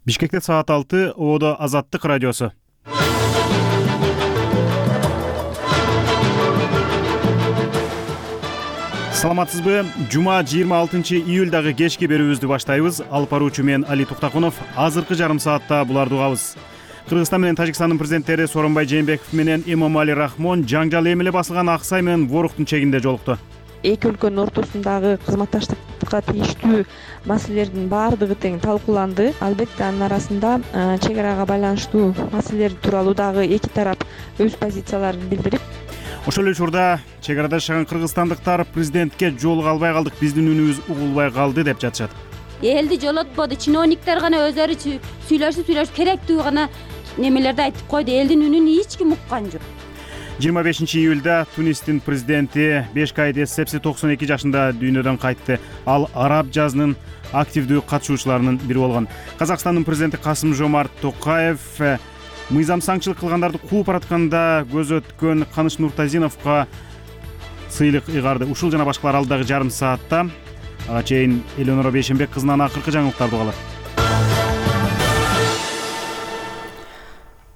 Бишкекте саат 6, Оодо Азаттык радиосу. Саламатсызбы? Жума 26-июлдагы кечки берүүбүздү баштайбыз. Алып баруучу мен Али Туктакунов. Азыркы жарым саатта буларды угабыз. Кыргызстан менен Тажикстандын президенттери Сооронбай Жээнбеков менен Эмомали Рахмон жаңжал эмеле басылган Аксай менен Воруктун чегинде жолукту. Эки өлкөнүн ортосундагы кызматташтыкка тийиштүү маселелердин баардыгы тең талкууланды. Албетте анын арасында чек арага байланыштуу маселелер тууралуу дагы эки тарап өз позицияларын билдирип, ошол эле учурда чек арада жашаган кыргызстандыктар президентке жолуга албай калдык, биздин үнүбүз угулбай калды деп жатышат. Элди жолотподу, чиновниктер гана өздөрү сүйлөшүп керектүү гана немелерди айтып койду. Элдин үнүн эч ким уккан жок. 25-июлда Тунистин президенти Бешкайд Эссепси 92 жашында дүйнөдөн кайтты. Ал араб жазынын активдүү катышуучуларынын бири болгон. Казакстандын президенти Касым-Жомарт Токаев мыйзамсаңчылык кылгандарды кууп баратканда көз өткөн Каныш Нуртазиновго сыйлык ыйгарды. Ушул жана башкалар алдыдагы жарым саатта. Ага чейин Элеонора Бейшенбек кызынан акыркы жаңылыктарды угалат.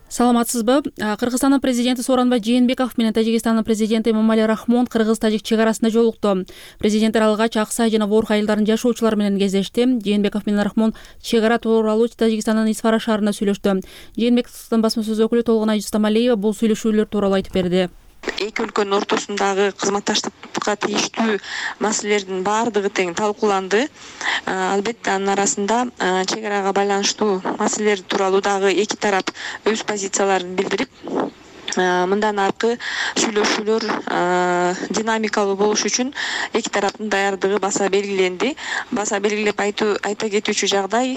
Саламатсызбы? Кыргызстандын президенти Сооронбай Жээнбеков менен Тажикстандын президенти Эмомали Рахмон кыргыз-тажик чек арасында жолукту. Президенттер алгач Аксай жана Ворук айылдарынын жашоочулары менен кездешти. Жээнбеков менен Рахмон чек ара тууралуу Тажикстандын Исфара шаарында сүйлөштү. Жээнбековдун басма сөз өкүлү Толгонай Жустамалиева бул сүйлөшүүлөр тууралуу айтып берди. Эки өлкөнүн ортосундагы кызматташтыкка тийиштүү маселелердин баардыгы тең талкууланды. Албетте анын арасында чек арага байланыштуу маселелер тууралуу дагы эки тарап өз позицияларын билдирип, мындан аркы сүйлөшүүлөр динамикалуу болуш үчүн эки тараптын даярдыгы баса белгиленди. Баса белгилеп айта кетүүчү жагдай,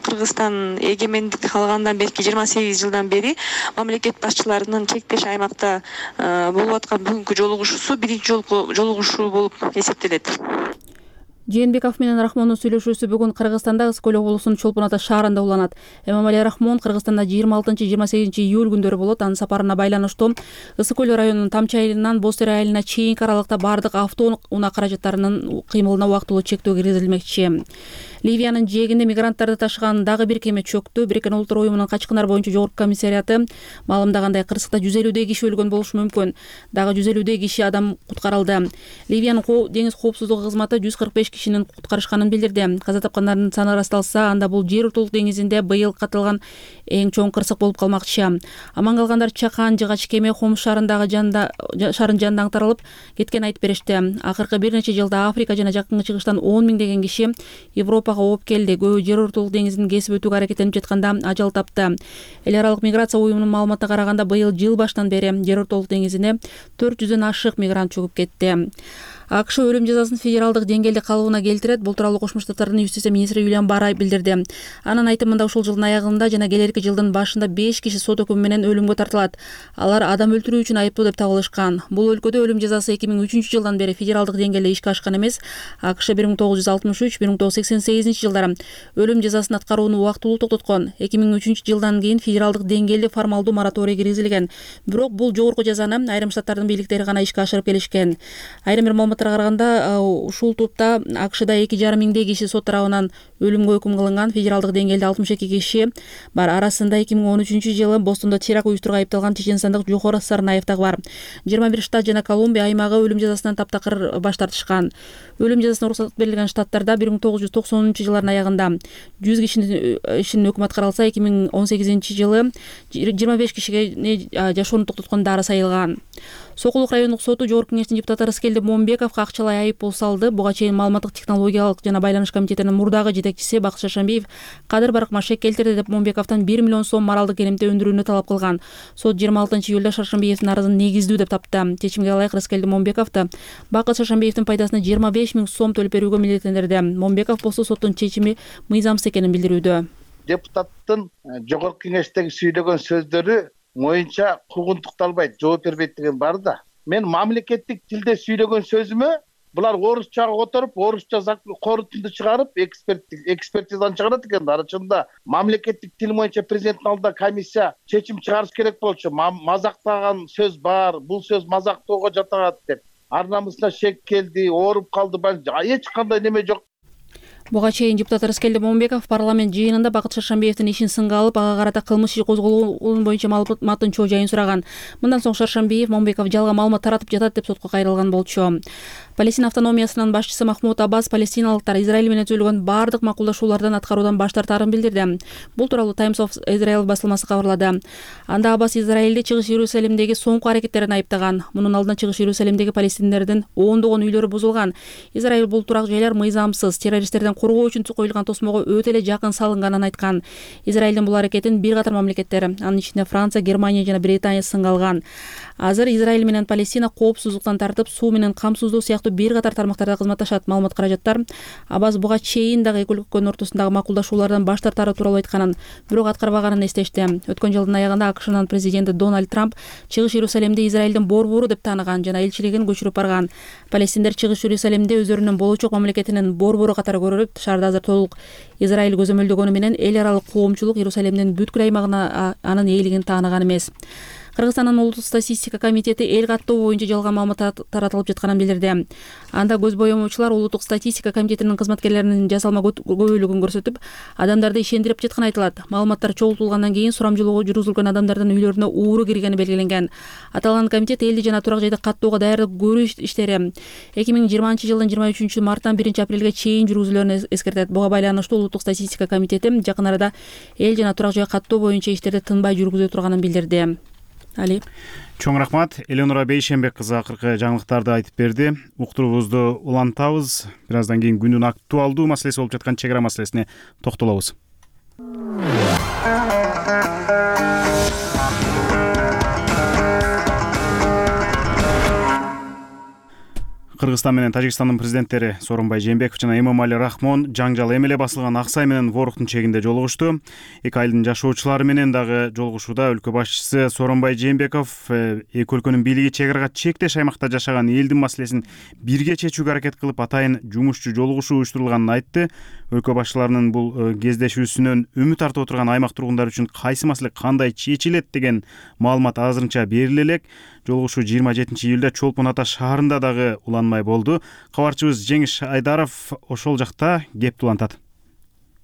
Кыргызстан эгемендик алгандан берки 28 жылдан бери мамлекет башчыларынын чектеш аймакта болуп аткан бүгүнкү жолугушуусу биринчи жолку жолугушуу болуп эсептелет. Жээнбеков менен Рахмондун сүйлөшүүсү бүгүн Кыргызстанда Ысык көл облусунун Чолпон Ата шаарында уланат. Эмомали Рахмон Кыргызстанда 26-28 июль күндөрү болот. Анын сапарына байланыштуу Ысык көл районунун Тамчы айылынан Бостер айылына чейинки аралыкта баардык автоунаа каражаттарынын кыймылына убактылуу чектөө киргизилмекчи. Ливиянын жээгинде мигранттарды ташыган дагы бир кеме чөктү. Бириккен Улуттар уюмунун качкындар боюнча жогорку комиссариаты маалымдагандай кырсыкта 150 киши өлгөн болушу мүмкүн. Дагы 150 киши адам куткарылды. Ливиянын деңиз коопсуздугу кызматы 145 кишинин куткарышканын билдирди. Каза тапкандардын саны ырасталса, анда бул жер утулук деңизинде быйыл катылган эң чоң кырсык болуп калмакчы. Аман калгандар Чакан жыгач кеме Хомс шаарындагы шаарын жанында аңтарылып кеткен айтып беришти. Акыркы бир нече жылда Африка жана Жакын Чыгыштан 10 миңдеген киши Европага ооп келди. Көбү жер утулук деңизин кесип өтүүгө аракеттенип жатканда ажал тапты. Эл аралык миграция уюмунун маалыматына караганда быйыл жыл башынан бери жер утулук деңизине 400дөн ашык мигрант чөгүп кетти. АКШ өлүм жазасын федералдык деңгээлде калыбына келтирет. Бул тууралуу Кошмо Штаттардын юстиция министри Юлиан Барай билдирди. Анын айтымында ушул жылдын аягында жана келерки жылдын башында 5 киши сот өкүмү менен өлүмгө тартылат. Алар адам өлтүрүү үчүн айыптуу деп табылышкан. Бул өлкөдө өлүм жазасы 2003 жылдан бери федералдык деңгээлде ишке ашкан эмес. АКШ 1963-1988 жылдары өлүм жазасын аткарууну убактылуу токтоткон. 2003 жылдан кийин федералдык деңгээлде формалдуу мораторий киргизилген. Бирок бул жогорку жазаны айрым штаттардын бийликтери гана ишке ашырып келишкен. Айрым бир маалыматтарга караганда ушул топта АКШда 2,5 миңдей киши сот тарабынан өлүмгө өкүм кылынган. Федералдык деңгээлде 62 киши бар. Арасында 2013 жылы Бостондо теракт уюштурууга айыпталган чеченстандык Жохор Сарнаев дагы бар. 21 штат жана Колумбия аймагы өлүм жазасынан таптакыр баш тартышкан. Өлүм жазасына уруксат берилген штаттарда 1990 жылдардын аягында 100 кишинин ишинин өкмөт каралса, 2018 жылы 25 кишиге жашоону токтоткон дары сайылган. Сокулук райондук соту жогорку кеңештин депутаты Рыскелди Момбековго акчалай айыппул салды. Буга чейин маалыматтык технологиялык жана байланыш комитетинин мурдагы жетекчиси Бакыт Шаршембиев кадыр баркмашек келтирди деп Момбековдон 1 миллион сом моралдык керемте өндүрүүнү талап кылган. Сот 26 июлда Шаршембиевдин арызын негиздүү деп тапты. Чечимге ылайык Рыскелди Момбековду Бакыт Шаршембиевдин пайдасына 25 миң сом төлөп берүүгө милдеттендирди. Момбеков болсо соттун чечими мыйзамсыз экенин билдирүүдө. Депутаттын жогорку кеңештеги сүйлөгөн сөздөрү моюнча куугунтукталбайт, жооп бербейт деген бар да. Мен мамлекеттик тилде сүйлөгөн сөзүмө булар орусчага которуп, орусча корутунду чыгарып, экспертизаны чыгарат экен. Арачында мамлекеттик тил боюнча президенттин алдында комиссия чечим чыгарыш керек болчу. Мазактаган сөз бар, бул сөз мазактоого жатат деп. Ар намысына шек келди, ооруп калды, эч кандай неме жок. Буга чейин депутат Рыскелди Момунбеков парламент жыйынында Бакыт Шаршамбиевдин ишин сынга алып, ага карата кылмыш иши козголгон боюнча маалыматын чоо жайын сураган. Мындан соң Шаршамбиев Момунбеков жалган маалымат таратып жатат деп сотко кайрылган болчу. Палестина автономиясынын башчысы Махмуд Аббас палестиналыктар Израиль менен түзүлгөн бардык макулдашуулардан аткаруудан баш тартаарын билдирди. Бул тууралуу Times of Israel басылмасы кабарлады. Анда Аббас Израилди Чыгыш Иерусалимдеги соңку аракеттерин айыптаган. Мунун алдында Чыгыш Иерусалимдеги палестиндердин ондогон үйлөрү бузулган. Израиль бул турак жайлар мыйзамсыз, террористтерден коргоо үчүн коюлган тосмого өтө эле жакын салынганын айткан. Израилдин бул аракетин бир катар мамлекеттер, анын ичинде Франция, Германия жана Британия сынга алган. Азыр Израиль менен Палестина коопсуздуктан тартып, суу менен камсыздоо сыяктуу бир катар тармактарда кызматташат. Маалымат каражаттар Аббас буга чейин дагы эки өлкөнүн ортосундагы макулдашуулардан баш тартары тууралуу айтканын, бирок аткарбаганын эстешти. Өткөн жылдын аягында АКШнын президенти Дональд Трамп Чыгыш Иерусалимди Израилдин борбору деп тааныган жана элчилигин көчүрүп барган. Палестиндер Чыгыш Иерусалимди өздөрүнүн болочок мамлекетинин борбору катары көрүп, шаарда азыр толук Израиль көзөмөлдөгөнү менен эл аралык коомчулук Иерусалимдин бүткүл аймагына анын ээлигин тааныган эмес. Кыргызстандын улуттук статистика комитети эл каттоо боюнча жалган маалымат таратылып жатканын билдирди. Анда көз боемочулар улуттук статистика комитетинин кызматкерлеринин жасалма көбөлүгүн көрсөтүп, адамдарды ишендирип жатканы айтылат. Маалыматтар чогултулгандан кийин сурамжылоого жүргүзүлгөн адамдардын үйлөрүнө ууру киргени белгиленген. Аталган комитет элди жана турак жайды каттоого даярдык көрүү иштери 2020 жылдын 23 марттан 1 апрелге чейин жүргүзүлөөрүн эскертет. Буга байланыштуу улуттук статистика комитети жакын арада эл жана турак жай каттоо боюнча иштерди тынбай жүргүзө турганын билдирди. Али. Чоң рахмат. Эленора Бейшенбек кызы акыркы жаңылыктарды айтып берди. Уктуруубузду улантабыз. Бир аздан кийин күндүн актуалдуу маселеси болуп жаткан чек ара маселесине токтолобуз. Кыргызстан менен Тажикстандын президенттери Сооронбай Жээнбеков жана Эмомали Рахмон жаңжал эми эле басылган Аксай менен Воруктун чегинде жолугушту. Эки айылдын жашоочулары менен дагы жолугушууда өлкө башчысы Сооронбай Жээнбеков эки өлкөнүн бийлиги чек арага чектеш аймакта жашаган элдин маселесин бирге чечүүгө аракет кылып, атайын жумушчу жолугушуу уюштурулганын айтты. Өлкө башчыларынын бул кездешүүсүнөн үмүт артып отурган аймак тургундары үчүн кайсы маселе кандай чечилет деген маалымат азырынча бериле элек. Жолугушуу 27-июлда Чолпон Ата шаарында дагы уланмай болду. Кабарчыбыз Жеңиш Айдаров ошол жакта кепти улантат.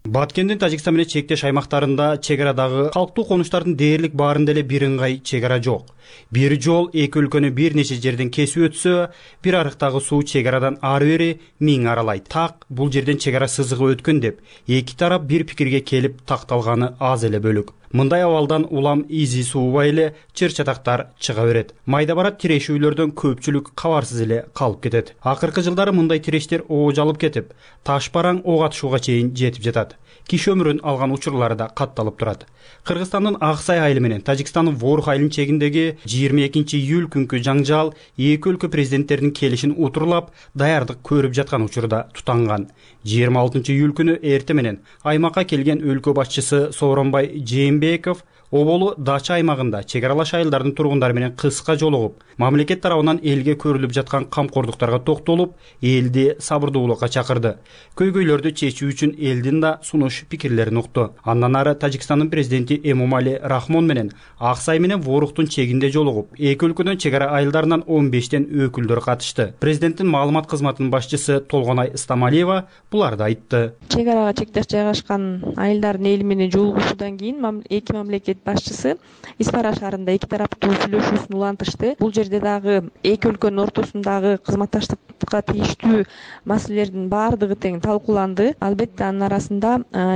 Баткендин Тажикстан менен чектеш аймактарында чек арадагы калктуу конуштардын дээрлик баарында эле бир ыңгай чек ара жок. Бир жол эки өлкөнү бир нече жерден кесип өтсө, бир арыктагы суу чек арадан ары бери 1000 аралайт. Так бул жерден чек ара сызыгы өткөн деп эки тарап бир пикирге келип такталганы аз эле бөлүк. Мындай абалдан улам изи суубай эле чыр-чатактар чыга берет. Майда барат тирешүүлөрдөн көпчүлүк кабарсыз эле калып кетет. Акыркы жылдары мындай тирештер оожалып кетип, таш бараң ок атышууга чейин жетип жатат. Киши өмүрүн алган учурлары да катталып турат. Кыргызстандын Аксай айылы менен Тажикстандын Ворук айылынын чегиндеги 22-июль күнкү жаңжал эки өлкө президенттеринин келишин утурлап, даярдык көрүп жаткан учурда тутанган. 26-июль күнү эрте менен аймакка келген өлкө башчысы Сооронбай Жээнбеков Оболу Дача аймагында чек аралаш айылдардын тургундары менен кыска жолугуп, мамлекет тарабынан элге көрүлүп жаткан камкордуктарга токтолуп, элди сабырдуулукка чакырды. Көйгөйлөрдү чечүү үчүн элдин да сунуш пикирлерин укту. Андан ары Тажикстандын президенти Эмомали Рахмон менен Аксай менен Воруктун чегинде жолугуп, эки өлкөнүн чек ара айылдарынан 15тен өкүлдөр катышты. Президенттин маалымат кызматынын башчысы Толгонай Стамалиева буларды айтты. Чек арага чектеш жайгашкан айылдардын эли менен жолугушуудан кийин эки мамлекет башчысы Испара шаарында эки тараптуу сүйлөшүүсүн улантышты. Бул жерде дагы эки өлкөнүн ортосундагы кызматташтыкка тийиштүү маселелердин баардыгы тең талкууланды. Албетте анын арасында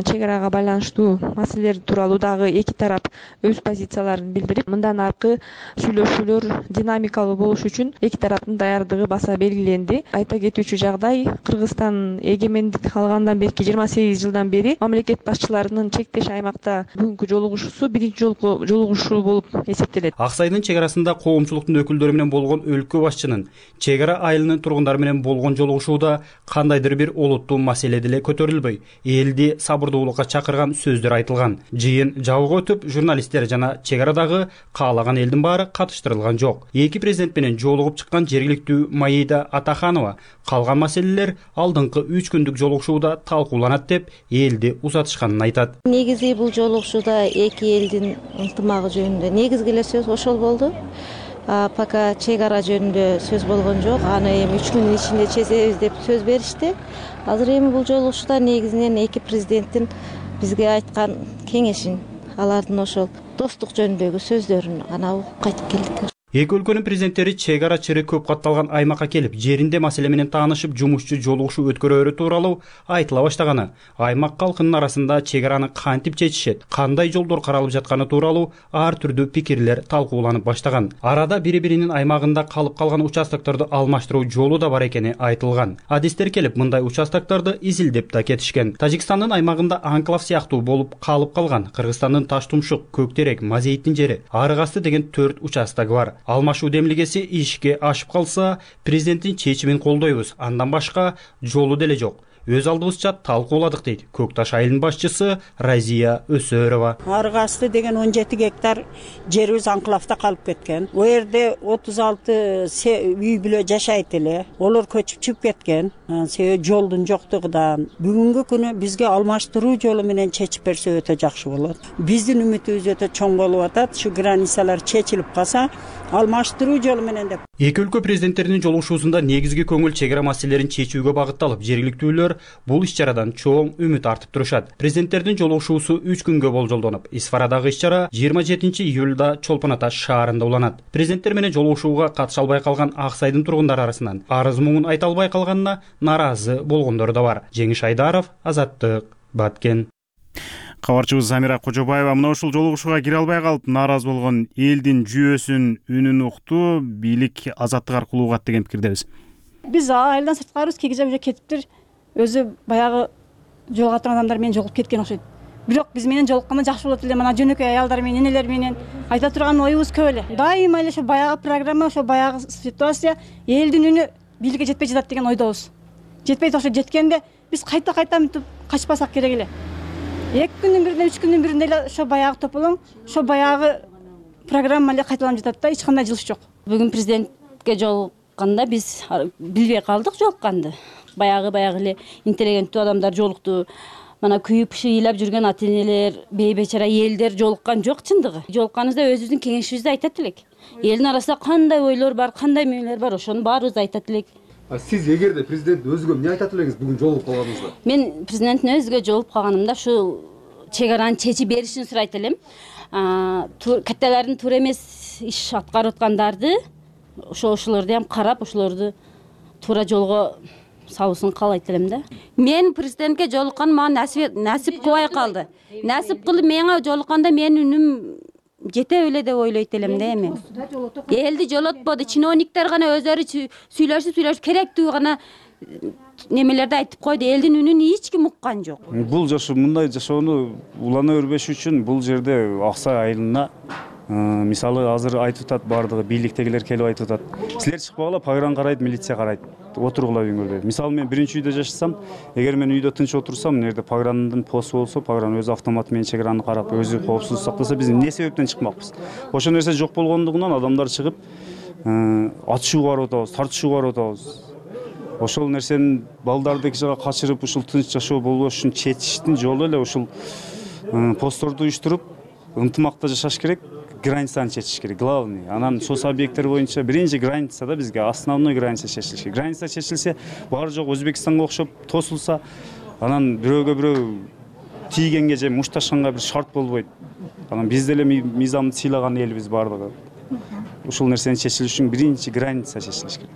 чек арага байланыштуу маселелер тууралуу дагы эки тарап өз позицияларын билдирип, мындан аркы сүйлөшүүлөр динамикалуу болуш үчүн эки тараптын даярдыгы баса белгиленди. Айта кетүүчү жагдай, Кыргызстан эгемендик алгандан берки 28 жылдан бери мамлекет башчыларынын чектеш аймакта бүгүнкү жолугушуусу биринчи жолку жолугушуу болуп эсептелет. Аксайдын чек арасында коомчулуктун өкүлдөрү менен болгон өлкө башчынын чек ара айылынын тургундары менен болгон жолугушууда кандайдыр бир олуттуу маселе деле көтөрүлбөй, элди сабырдуулукка чакырган сөздөр айтылган. Жыйын жабык өтүп, журналисттер жана чек арадагы каалаган элдин баары катыштырылган жок. Эки президент менен жолугуп чыккан жергиликтүү Маида Атаханова калган маселелер алдыңкы 3 күндүк жолугушууда талкууланат деп элди узатышканын айтат. Негизи бул жолугушууда эки элдин ынтымагы жөнүндө негизги эле сөз ошол болду. Пока чек ара жөнүндө сөз болгон жок. Аны эми 3 күндүн ичинде чечебиз деп сөз беришти. Азыр эми бул жолугушууда негизинен эки президенттин бизге айткан кеңешин, алардын ошол достук жөнүндөгү сөздөрүн гана угуп кайтып келдик. Эки өлкөнүн президенттери чек ара чыры көп катталган аймакка келип, жеринде маселе менен таанышып, жумушчу жолугушуу өткөрөөрү тууралуу айтыла баштаганы, аймак калкынын арасында чек араны кантип чечишет, кандай жолдор каралып жатканы тууралуу ар түрдүү пикирлер талкууланып баштаган. Арада бири-биринин аймагында калып калган участокторду алмаштыруу жолу да бар экени айтылган. Адистер келип, мындай участокторду изилдеп да кетишкен. Тажикстандын аймагында анклав сыяктуу болуп калып калган Кыргызстандын Таштумшук, Көктерек, Мазейиттин жери, Арык асты деген 4 участок бар. Алмашуу демилгеси ишке ашып калса, президенттин чечимин колдойбуз. Андан башка жолу деле жок. Өз алдыбызча талкууладык дейт Көк Таш айылынын башчысы Разия Өсөрова. Арык асты деген 17 гектар жерибиз анклавда калып кеткен. О жерде 36 үй бүлө жашайт эле. Олар көчүп чыгып кеткен. Себеби жолдун жоктугунан. Бүгүнкү күнү бизге алмаштыруу жолу менен чечип берсе өтө жакшы болот. Биздин үмүтүбүз өтө чоң болуп атат. Şu границалар чечилип калса, алмаштыруу жолу менен деп. Эки өлкө президенттеринин жолугушуусунда негизги көңүл чек ара маселелерин чечүүгө багытталып, жергиликтүүлөр бул иш-чарадан чоң үмүт артып турушат. Президенттердин жолугушуусу 3 күнгө болжолдонуп, Исфарадагы иш-чара 27 июлда Чолпон Ата шаарында уланат. Президенттер менен жолугушууга катыша албай калган Ак Сайдын тургундары арасынан арыз муңун айта албай калганына наразы болгондор да бар. Жеңиш Айдаров, Азаттык, Баткен. Кабарчыбыз Замира Кожобаева мына ушул жолугушууга кире албай калып нааразы болгон элдин жүйөсүн үнүн укту, бийлик азаттык аркылуу угат деген пикирдебиз. Биз айылдан сырткарыбыз, кээ кезде кетиптир. Өзү баягы жолго турган адамдар менен жолугуп кеткен окшойт. Бирок биз менен жолукканда жакшы болот эле. Мына жөнөкөй аялдар менен, энелер менен айта турган оюбуз көп эле. Дайыма эле ошо баягы программа, ошо баягы ситуация элдин үнү бийликке жетпей жатат деген ойдобуз. Жетпей ошо жеткенде биз кайта мынтип качпасак керек эле. 2 күндүн биринде, 3 күндүн биринде эле ошо баягы тополоң, ошо баягы программа эле кайталанып жатат да, эч кандай жылыш жок. Бүгүн президентке жолукканда биз билбей калдык жолукканды. Баягы эле интеллигенттүү адамдар жолукту. Мана күйүп шыйлап жүргөн ата-энелер, бейбечара элдер жолуккан жок чындыгы. Жолукканыбызда өзүбүздүн кеңешибизди айтат элек. Элдин арасында кандай ойлор бар, кандай мээлер бар, ошону баарыбызды айтат элек. Сиз эгерде президент өзгө эмне айтат элеңиз бүгүн жолугуп калганыңызда? Мен президенттин өзүгө жолугуп калганымда ушул чек араны чечип беришин сурайт элем. Катталардын туура эмес иш аткарып аткандарды, ошолорду ham карап, ошолорду туура жолго салуусун каалайт элем да. Мен президентке жолукканым мага насип кылбай калды. Насип кылып мага жолукканда менин үнүм жете эле деп ойлойт элем да эми. Элди жолотподу, чиновниктер гана өзлөрү сүйлөшүп керектүү гана немелерди айтып койду. Элдин үнүн эч ким уккан жок. Бул мындай жашоону улана бербеш үчүн бул жерде Ак Сай айылына мисалы азыр айтып атат, баардыгы бийликтегилер келип айтып атат. Силер чыкпагыла, пагыран карайт, милиция карайт. Отургула үйүңөрдө. Мисалы мен биринчи үйдө жашасам, эгер мен үйдө тынч отурсам, мына жерде пагырандын посту болсо, пагыран өз автоматы менен чек араны карап, өзү коопсуздук сактаса, биз эмне себептен чыкмакпыз? Ошол нерсе жок болгондугунан адамдар чыгып, атышууга барып атабыз, тартышууга барып атабыз. Ошол нерсени балдарды эки жака качырып, ушул тынч жашоо болбош үчүн чечиштин жолу эле ушул постторду уюштуруп, ынтымакта жашаш керек. Границаны чечиш керек, главный. Анан сос объекттер боюнча биринчи границада бизге основной граница чечилиш керек. Граница чечилсе, баары жок Өзбекстанга окшоп тосулса, анан бирөөгө бирөө тийгенге же мушташканга бир шарт болбойт. Анан биз деле мыйзамды сыйлаган элбиз баардыгы. Ушул нерсени чечилиш үчүн биринчи граница чечилиш керек.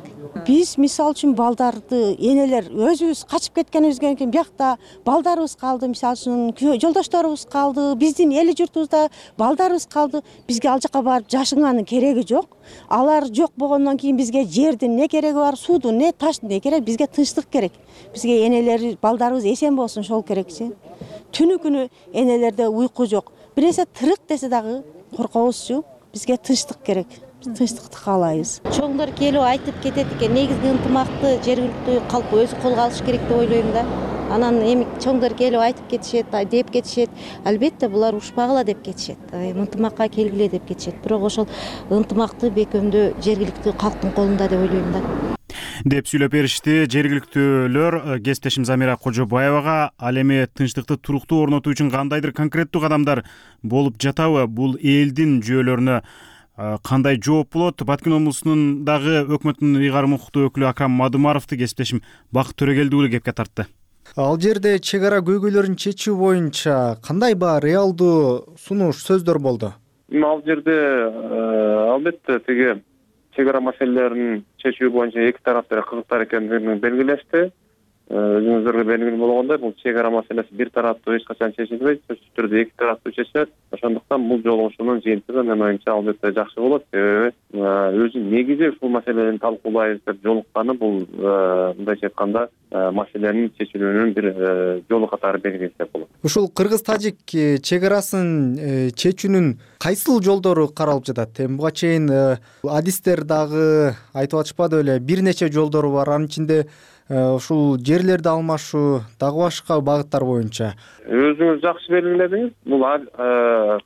Биз мисал үчүн балдарды, энелер өзүбүз качып кеткенибизге кийин биякта балдарыбыз калды, мисал үчүн жолдошторубуз калды, биздин эл журтубузда балдарыбыз калды. Бизге ал жака барып жашынганын кереги жок. Алар жок болгондон кийин бизге жердин не кереги бар, суудун не таштын не кереги, бизге тынчтык керек. Бизге энелер, балдарыбыз эсен болсун, ошол керекчи. Түнү күнү энелерде уйку жок. Бир нерсе тырык десе дагы коркобузчу. Бизге тынчтык керек. Тынчтыкты каалайбыз. Чоңдор келип айтып кетет экен, негизги ынтымакты жергиликтүү калк өзү колго алыш керек деп ойлойм да. Анан эми чоңдор келип айтып кетишет, деп кетишет. Албетте булар ушпагыла деп кетишет. Ынтымакка келгиле деп кетишет. Бирок ошол ынтымакты бекемдөө жергиликтүү калктын колунда деп ойлойм да. Деп сүйлөп беришти жергиликтүүлөр кесиптешим Замира Кожобаевага. Ал эми тынчтыкты туруктуу орнотуу үчүн кандайдыр конкреттүү кадамдар болуп жатабы? Бул элдин жүйөлөрүнө кандай жооп болот? Баткен облусунун дагы өкмөттүн ыйгарым укуктуу өкүлү Акрам Мадумаровду кесиптешим Бакыт Төрөгелдиұлы кепке тартты. Ал жерде чек ара көйгөйлөрүн чечүү боюнча кандай реалдуу сунуш сөздөр болду? Ал жерде албетте тиги чек ара маселелерин чечүү боюнча эки тараптар кызыктар экендигин белгилешти. Өзүңүздөргө белгилүү болгондой, бул чек ара маселеси бир тараптуу эч качан чечилбейт, сөзсүз түрдө эки тараптуу чечилет. Ошондуктан бул жолугушуунун жыйынтыгы менин оюмча албетте жакшы болот. Себеби өзү негизи ушул маселени талкуулайбыз деп жолукканы бул мындайча айтканда маселенин чечилүүнүн бир жолу катары белгилесек болот. Ушул кыргыз-тажик чек арасын чечүүнүн кайсыл жолдору каралып жатат? Буга чейин адистер дагы айтып атышпады беле, бир нече жолдору бар. Анын ичинде ушул жерлерди алмашуу дагы башка багыттар боюнча. Өзүңүз жакшы белгиледиңиз. Бул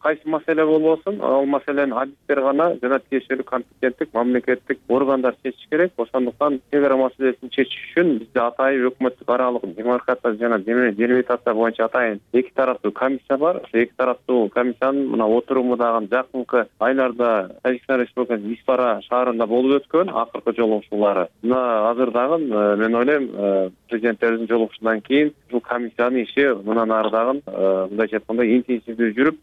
кайсы маселе болбосун, ал маселени адистер гана жана тиешелүү компетенттик мамлекеттик органдар чечиш керек. Ошондуктан чек ара маселесин чечиш үчүн бизде атайын өкмөттүк аралык демаркация жана делимитация боюнча атайын эки тараптуу комиссия бар. Ошо эки тараптуу комиссиянын мына отуруму дагы жакынкы айларда Тажикстан Республикасынын Испара шаарында болуп өткөн акыркы жолугушуулары. Мына азыр дагы мен ойлойм президенттердин жолугушуудан кийин ушул комиссиянын иши мындан ары дагы мындайча айтканда интенсивдүү жүрүп,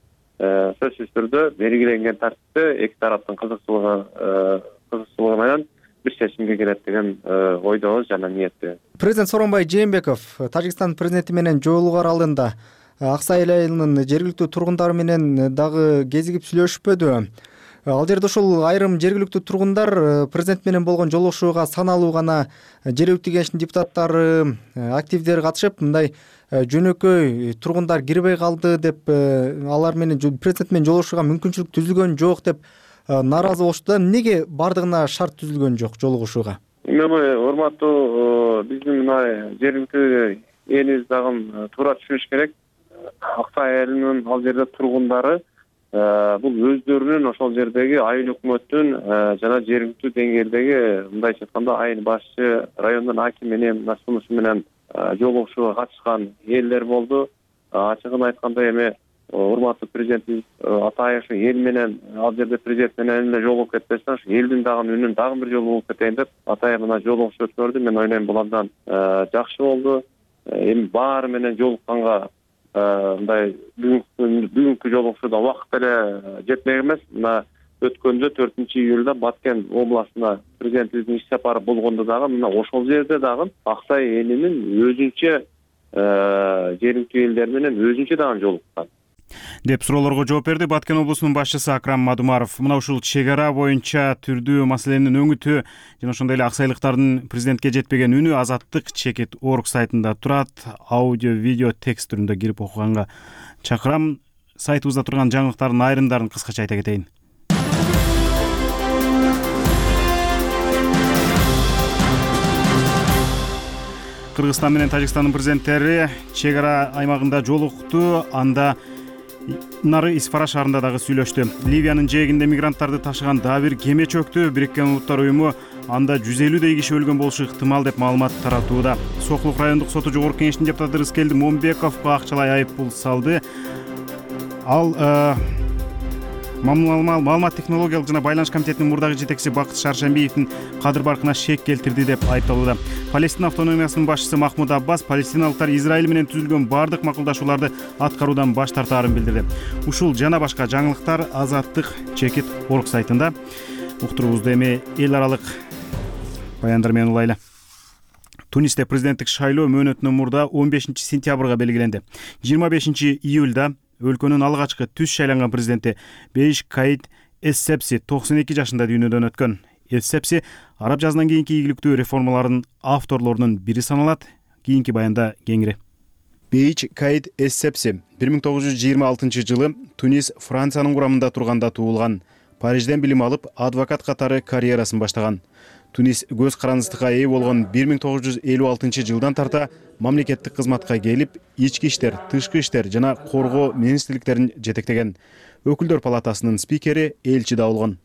сөзсүз түрдө белгиленген тартипте эки тараптын кызыкчылыгы менен бир чечимге келет деген ойдобуз жана ниеттебиз. Президент Сооронбай Жээнбеков Тажикстан президенти менен жолугуу аралыгында Аксай айылынын жергиликтүү тургундары менен дагы кезигип сүйлөшпөдү? Ал жерде ушул айрым жергиликтүү тургундар президент менен болгон жолугушууга саналуу гана жергиликтүү кеңештин депутаттары, активдери катышып, мындай жөнөкөй тургундар кирбей калды деп, алар менен президент менен жолугушууга мүмкүнчүлүк түзүлгөн жок деп нааразы болушту. Эмнеге бардыгына шарт түзүлгөн жок жолугушууга? Урматтуу биздин мына жергиликтүү элибиз дагы туура түшүнүш керек. Аксай айылынын ал жерде тургундары бул өздөрүнүн ошол жердеги айыл өкмөттүн жана жергиликтүү деңгээлдеги мындайча айтканда айыл башчы, райондун акими менен сунушу менен жолугушууга катышкан элдер болду. Ачыгын айтканда эми урматтуу президентибиз Атаев эл менен ал жерде президент менен эле жолугуп кетпестен ушу элдин дагы үнүн дагы бир жолу угуп кетейин деп Атаев мына жолугушуу өткөрдү. Мен ойлойм бул абдан жакшы болду. Эми баары менен жолукканга мындай бүгүнкү жолугушууда убакыт эле жетпек эмес. Мына өткөндө 4-июлда Баткен областына президентибиздин иш сапары болгондо дагы мына ошол жерде дагы Аксай элинин өзүнчө жергиликтүү элдер менен өзүнчө дагы жолуккан деп суроолорго жооп берди Баткен облусунун башчысы Акрам Мадумаров. Мына ушул чек ара боюнча түрдүү маселенин өңүтү жана ошондой эле аксайлыктардын президентке жетпеген үнү Азаттык чекит орг сайтында турат. Аудио, видео, текст түрүндө кирип окуганга чакырам. Сайтыбызда турган жаңылыктардын айрымдарын кыскача айта кетейин. Кыргызстан менен Тажикстандын президенттери чек ара аймагында жолукту. Анда нары Испара шаарында дагы сүйлөштү. Ливиянын жээгинде мигранттарды ташыган дагы бир кеме чөктү. Бириккен Улуттар уюму анда 150дей киши өлгөн болушу ыктымал деп маалымат таратууда. Сокулук райондук соту жогорку кеңештин депутаты Рыскелди Момбековго акчалай айып пул салды. Ал маалымат технологиялык жана байланыш комитетинин мурдагы жетекчиси Бакыт Шаршембиевдин кадыр баркына шек келтирди деп айыпталууда. Палестина автономиясынын башчысы Махмуд Аббас палестиналыктар Израиль менен түзүлгөн бардык макулдашууларды аткаруудан баш тартаарын билдирди. Ушул жана башка жаңылыктар Азаттык чекит орг сайтында. Уктуруубузду эми эл аралык баяндар менен улайлы. Тунисте президенттик шайлоо мөөнөтүнөн мурда 15 сентябрга белгиленди. 25 июлда өлкөнүн алгачкы түз шайланган президенти Бейш Каид Эссепси 92 жашында дүйнөдөн өткөн. Эссепси араб жазынан кийинки ийгиликтүү реформалардын авторлорунун бири саналат. Кийинки баянда кеңири. Бейш Каид Эссепси 1926 жылы Тунис Франциянын курамында турганда туулган. Парижден билим алып, адвокат катары карьерасын баштаган. Тунис көз карандысыкка ээ болгон 1956 жылдан тарта мамлекеттик кызматка келип, ички иштер, тышкы иштер жана коргоо министрликтерин жетектеген. Өкүлдөр палатасынын спикери, элчи да болгон.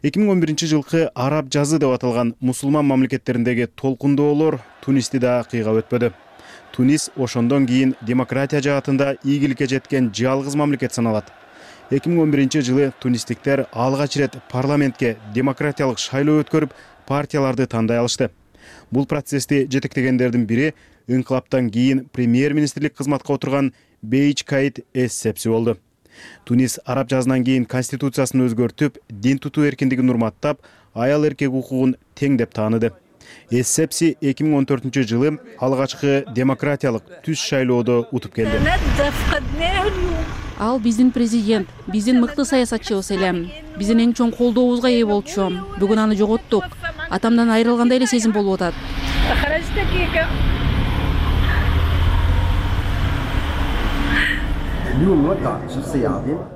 2011 жылкы араб жазы деп аталган мусулман мамлекеттериндеги толкундоолор Тунисти да кыйгап өтпөдү. Тунис ошондон кийин демократия жаатында ийгиликке жеткен жалгыз мамлекет саналат. 2011-жылы тунистиктер алгач ирет парламентке демократиялык шайлоо өткөрүп, партияларды тандай алышты. Бул процессти жетектегендердин бири инкылаптан кийин премьер-министрлик кызматка отурган Бейч Каид Эссепси болду. Тунис араб жазынан кийин конституциясын өзгөртүп, дин тутуу эркиндигин урматтап, аял эркек укугун тең деп тааныды. Эссепси 2014-жылы алгачкы демократиялык түз шайлоодо утуп келди. Ал биздин президент, биздин мыкты саясатчыбыз эле. Биздин эң чоң колдообузга ээ болчу. Бүгүн аны жоготтук. Атамдан айрылгандай эле сезим болуп атат.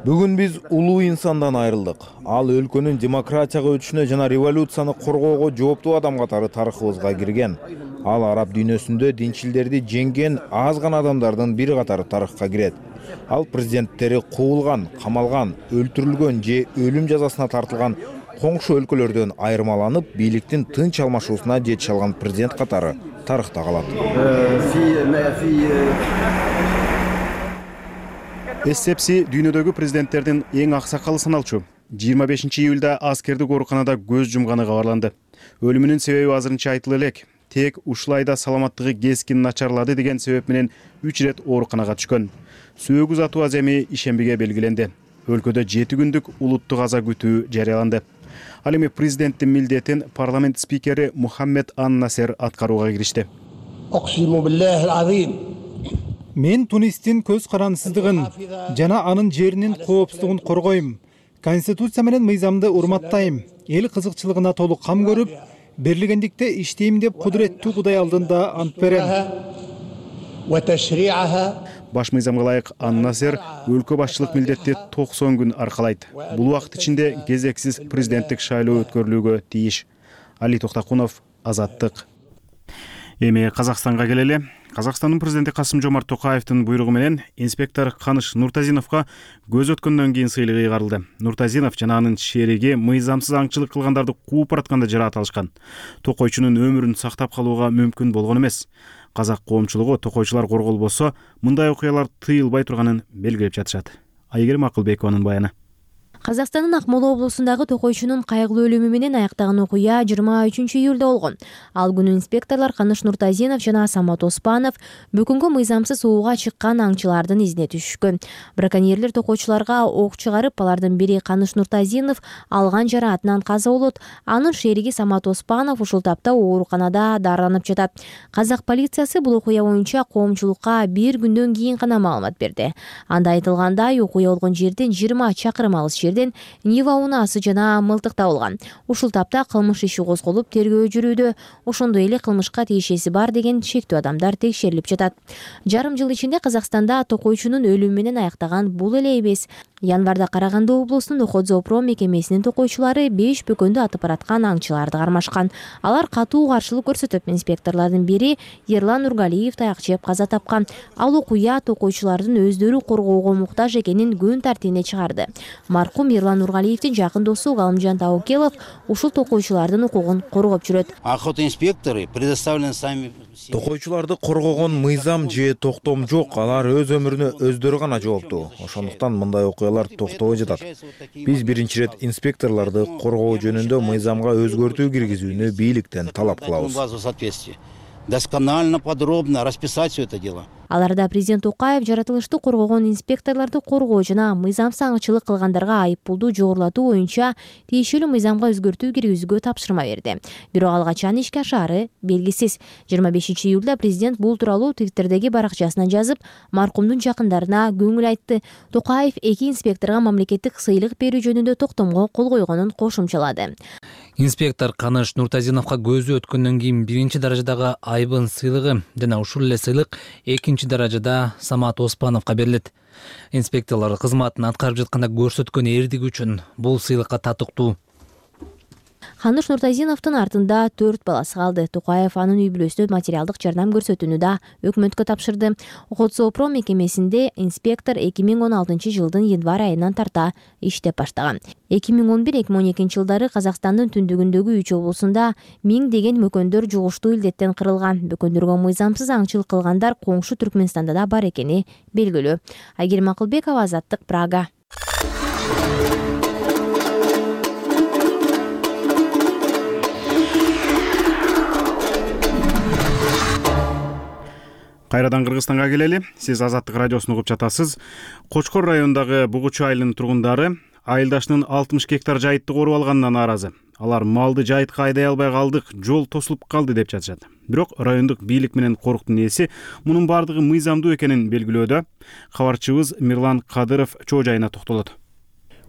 Бүгүн биз улуу инсандан айрылдык. Ал өлкөнүн демократияга өтүшүнө жана революцияны коргоого жооптуу адам катары тарыхыбызга кирген. Ал араб дүйнөсүндө динчилдерди жеңген аз гана адамдардын бири катары тарыхка кирет. Ал президенттери куулган, камалган, өлтүрүлгөн же өлүм жазасына тартылган коңшу өлкөлөрдөн айырмаланып, бийликтин тынч алмашуусуна жетише алган президент катары тарыхта калат. Эссепси дүйнөдөгү президенттердин эң аксакалы саналчу. 25-июлда аскердик ооруканада көз жумганы кабарланды. Өлүмүнүн себеби азырынча айтыла элек. Тек ушулайда саламаттыгы кескин начарлады деген себеп менен 3 ирет ооруканага түшкөн. Сөөгү затуу аземи ишембиге белгиленди. Өлкөдө 7 күндүк улуттук аза күтүү жарыяланды. Ал эми президенттин милдетин парламент спикери Мухаммед ан-Насер аткарууга киришти. Мен Тунистин көз карандысыздыгын жана анын жеринин коопсуздугун коргойм. Конституция менен мыйзамды урматтайм. Эл кызыкчылыгына толук кам көрүп, берилгендикте иштейм деп кудуреттүү Кудай алдында ант берем. Баш мыйзамга ылайык ан-Насер өлкө башчылык милдетти 90 күн аркалайт. Бул убакыт ичинде кезексиз президенттик шайлоо өткөрүлүүгө тийиш. Али Токтакунов, Азаттык. Эми Казакстанга келели. Казакстандын президенти Касым-Жомарт Токаевдин буйругу менен инспектор Каныш Нуртазиновго көз өткөндөн кийин сыйлык ыйгарылды. Нуртазинов жана анын шериги мыйзамсыз аңчылык кылгандарды кууп баратканда жараат алышкан. Токойчунун өмүрүн сактап калууга мүмкүн болгон эмес. Казак коомчулугу токойчулар корголбосо мындай окуялар тыйылбай турганын белгилеп жатышат. Айгерим Акылбекованын баяны. Казакстандын Акмола облусундагы токойчунун кайгылуу өлүмү менен аяктаган окуя 23-июлда болгон. Ал күнү инспекторлор Каныш Нуртазинов жана Самат Оспанов бөкөнгө мыйзамсыз ууга чыккан аңчылардын изине түшүшкөн. Браконьерлер токойчуларга ок чыгарып, алардын бири Каныш Нуртазинов алган жараатынан каза болот. Анын шериги Самат Оспанов ушул тапта ооруканада дарыланып жатат. Казак полициясы бул окуя боюнча коомчулукка 1 күндөн кийин гана маалымат берди. Анда айтылгандай, окуя болгон жерден 20 чакырым алыс Нива унаасы жана мылтык табылган. Ушул тапта кылмыш иши козголуп, тергөө жүрүүдө. Ошондой эле кылмышка тиешеси бар деген шектүү адамдар текшерилип жатат. Жарым жыл ичинде Казакстанда токойчунун өлүмү менен аяктаган бул эле эмес. Январда Караганды облусунун Охотзоопром мекемесинин токойчулары 5 бөкөндү атып бараткан аңчыларды кармашкан. Алар катуу каршылык көрсөтүп, инспекторлордун бири Ерлан Нургалиев таяк жеп каза тапкан. Ал окуя токойчулардын өздөрү коргоого муктаж экенин күн тартибине чыгарды. Маркум Ерлан Нургалиевдин жакын досу Галымжан Таукелов ушул токойчулардын укугун коргоп жүрөт. Охотинспекторы предоставлены сами. Токойчуларды коргогон мыйзам же токтом жок, алар өз өмүрүнө өздөрү гана жооптуу. Ошондуктан мындай окуялар токтобой жатат. Биз биринчи ирет инспекторлорду коргоо жөнүндө мыйзамга өзгөртүү киргизүүнү бийликтен талап кылабыз. Досконально, подробно расписать все это дело. Аларда президент Токаев жаратылышты коргогон инспекторлорду коргоо жана мыйзамсыз аңчылык кылгандарга айыппулду жогорулатуу боюнча тиешелүү мыйзамга өзгөртүү киргизүүгө тапшырма берди. Бирок ал качан ишке ашаары белгисиз. 25-июлда президент бул тууралуу Твиттердеги баракчасынан жазып, маркумдун жакындарына көңүл айтты. Токаев 2 инспекторго мамлекеттик сыйлык берүү жөнүндө токтомго кол койгонун кошумчалады. Инспектор Каныш Нуртазиновго көзү өткөндөн кийин 1-даражадагы айбын сыйлыгы жана ушул эле сыйлык 2-даражада Самат Оспановго берилет. Инспекторлор кызматын аткарып жатканда көрсөткөн эрдиги үчүн бул сыйлыкка татыктуу. Каныш Нуртазиновдун артында 4 баласы калды. Токаев анын үй бүлөсүнө материалдык жардам көрсөтүүнү да өкмөткө тапшырды. Охотзоопром мекемесинде инспектор 2016-жылдын январь айынан тарта иштеп баштаган. 2011-2012 жылдары Казакстандын түндүгүндөгү 3 облусунда 1000 деген мөкөндөр жугуштуу илдеттен кырылган. Бөкөндөргө мыйзамсыз аңчылык кылгандар коңшу Түркмөнстанда да бар экени белгилүү. Айгерим Акылбекова, Азаттык, Прага. Кайрадан Кыргызстанга келели. Сиз Азаттык радиосун угуп жатасыз. Кочкор районундагы Бугучу айылынын тургундары айылдашынын 60 гектар жайытты коруп алганынан нааразы. Алар малды жайытка айдай албай калдык, жол тосулуп калды деп жатышат. Бирок райондук бийлик менен коруктун ээси мунун бардыгы мыйзамдуу экенин белгилөөдө. Кабарчыбыз Мирлан Кадыров чоо жайына токтолот.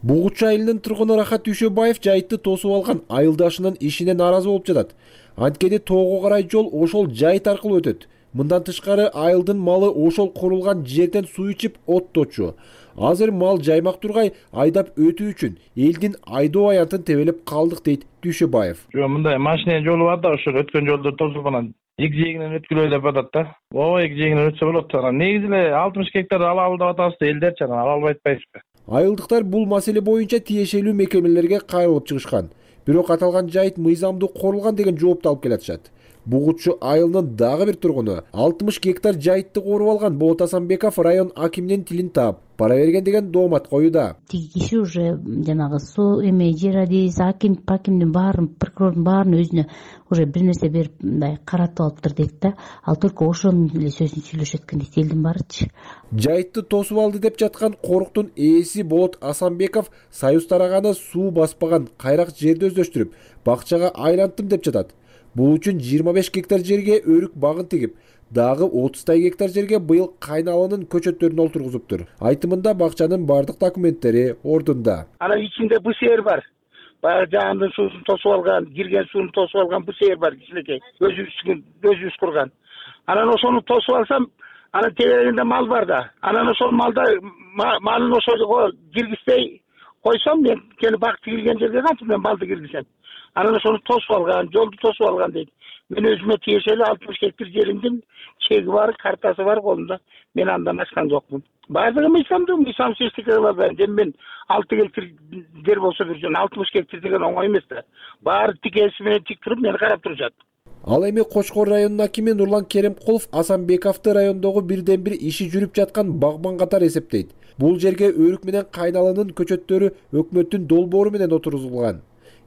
Бугучу айылынын тургуну Рахат Дүйшөбаев жайытты тосуп алган айылдашынын ишине нааразы болуп жатат. Анткени тоого карай жол ошол жайыт аркылуу өтөт. Мындан тышкары айылдын малы ошол курулган жерден суу ичип отточу. Азыр мал жаймак тургай айдап өтүү үчүн элдин айдоо аянтын тебелеп калдык дейт Дүйшөбаев. Мындай машина жолу бар да, ошол өткөн жолдор тосулуп анан эки жээгинен өткүлөй деп атат да. Ооба, эки жээгинен өтсө болот. Анан негизи эле 60 гектар алабыз деп атабыз да, элдерчи анан ала албай атпайбызбы? Айылдыктар бул маселе боюнча тиешелүү мекемелерге кайрылып чыгышкан. Бирок аталган жайыт мыйзамдуу корулган деген жоопту алып келатышат. Бугучу айылынын дагы бир тургуну 60 гектар жайытты коруп алган Болот Асанбеков район акиминин тилин таап пара берген деген доомат коюуда. Тиги киши уже жанагы суу эме жер адис акимдин баарын, прокурордун баарын өзүнө уже бир нерсе берип мындай каратып алыптыр дейт да. Ал только ошонун эле сөзүн сүйлөшөт экен дейт элдин баарычы. Жайытты тосуп алды деп жаткан коруктун ээси Болот Асанбеков союз тараганы суу баспаган кайрак жерди өздөштүрүп, бакчага айлантым деп жатат. Бул үчүн 25 гектар жерге өрүк багын тигип, дагы 30 гектар жерге быйыл кайналанын көчөттөрүн олтургузуптур. Айтымында бакчанын бардык документтери ордунда. Анан ичинде бусер бар. Баягы жаандын суусун тосуп алган, кирген сууну тосуп алган бусер бар кичинекей. Өзүбүз курган. Анан ошону тосуп алсам, анан тегерегинде мал бар да. Анан ошол малын ошого киргизбей койсом, мен кени бак тигилген жерге кантип мен малды киргизем? Анан ошону тосуп алган, жолду тосуп алган дейт. Мен өзүмө тиешелүү 60 гектар жеримдин чеги бар, картасы бар колумда. Мен андан ашкан жокмун. Баардыгы мыйзамсыз эчтеке кыла албайм. Мен 6 гектар жер болсо бир жөн 60 гектар деген оңой эмес да. Баары тикеси менен тик туруп мени карап турушат. Ал эми Кочкор районунун акими Нурлан Керимкулов Асанбековду райондогу бирден бир иши жүрүп жаткан багбан катары эсептейт. Бул жерге өрүк менен кайналанын көчөттөрү өкмөттүн долбоору менен отургузулган.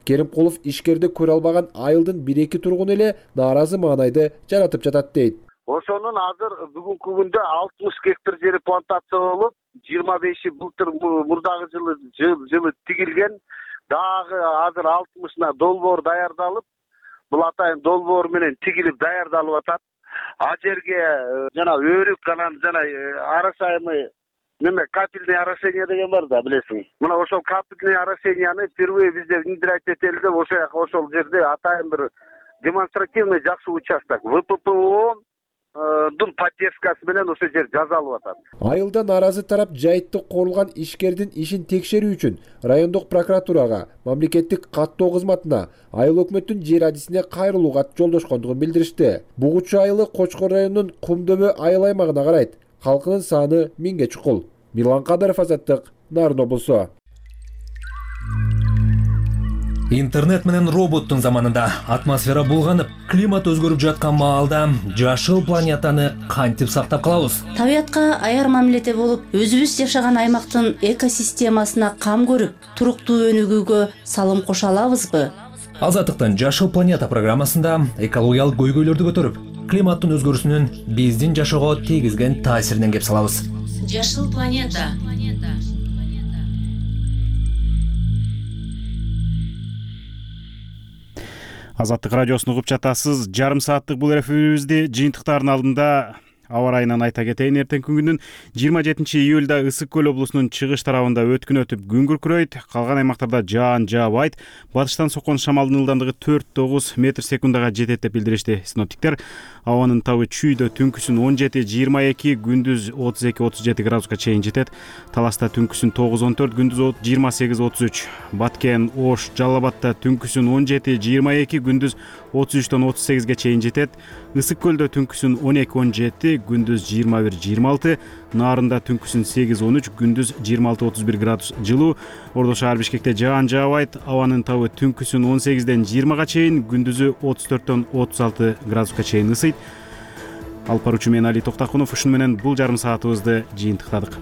Керимкулов ишкерди көрө албаган айылдын 1-2 тургуну эле нааразы маанайды жаратып жатат дейт. Ошонун азыр бүгүнкү күндө 60 гектар жери плантация болуп, 25 былтыр мурдагы жылы тигилген, дагы азыр 60-ына долбоор даярдалып, бул атайын долбоор менен тигилип даярдалып атат. А жерге жана өрүк анан жана арасайымы капельный орошение деген бар да, билесиң. Мына ошол капельный орошенияны впервые бизде внедрять этели деп ошол жерде атайын бир демонстративный жакшы участок ВППО дун поддержкасы менен ошол жер жазалып атат. Айылда нааразы тарап жайытты корулган ишкердин ишин текшерүү үчүн райондук прокуратурага, мамлекеттик каттоо кызматына, айыл өкмөттүн жер адисине кайрылууга жолдошкондугун билдиришти. Бугучу айылы Кочкор районунун Кумдөбө айыл аймагына карайт. Халкынын саны 1000ге чукул. Мирлан Кадыров, Азаттык, Нарын облусу. Интернет менен роботтун заманында атмосфера булганып, климат өзгөрүп жаткан маалда жашыл планетаны кантип сактап калабыз? Табиятка аяр мамиледе болуп, өзүбүз жашаган аймактын экосистемасына кам көрүп, туруктуу өнүгүүгө салым кошо алабызбы? Азаттыктын Жашыл планета программасында экологиялык көйгөйлөрдү көтөрүп, климаттын өзгөрүүсүнүн биздин жашоого тийгизген таасиринен кеп салабыз. Жашыл планета. Азаттык радиосун угуп жатасыз. Жарым сааттык бул эфирибизди жыйынтыктардын алдында аба ырайынан айта кетейин. Эртеңки күндүн 27 июлда Ысык көл облусунун чыгыш тарабында өткүн өтүп күн күркүрөйт. Калган аймактарда жаан жаабайт. Батыштан соккон шамалдын ылдамдыгы 4-9 метр секундага жетет деп билдиришти синоптиктер. Абанын табы чүйдө түнкүсүн 17-22, күндүз 32-37 градуска чейин жетет. Таласта түнкүсүн 9-14, күндүз 28-33. Баткен, Ош, Жалал Абадта түнкүсүн 17-22, күндүз 33-38ге чейин жетет. Ысык көлдө түнкүсүн 12-17, күндүз 21-26, Нарында түнкүсүн 8-13, күндүз 26-31 градус жылуу. Ордо шаар Бишкекте жаан жаабайт. Абанын табы түнкүсүн 18-ден 20га чейин, күндүзү 34-төн 36 градуска чейин ысыйт. Алып баруучу мен Али Токтакунов, ушуну менен бул жарым саатыбызды жыйынтыктадык.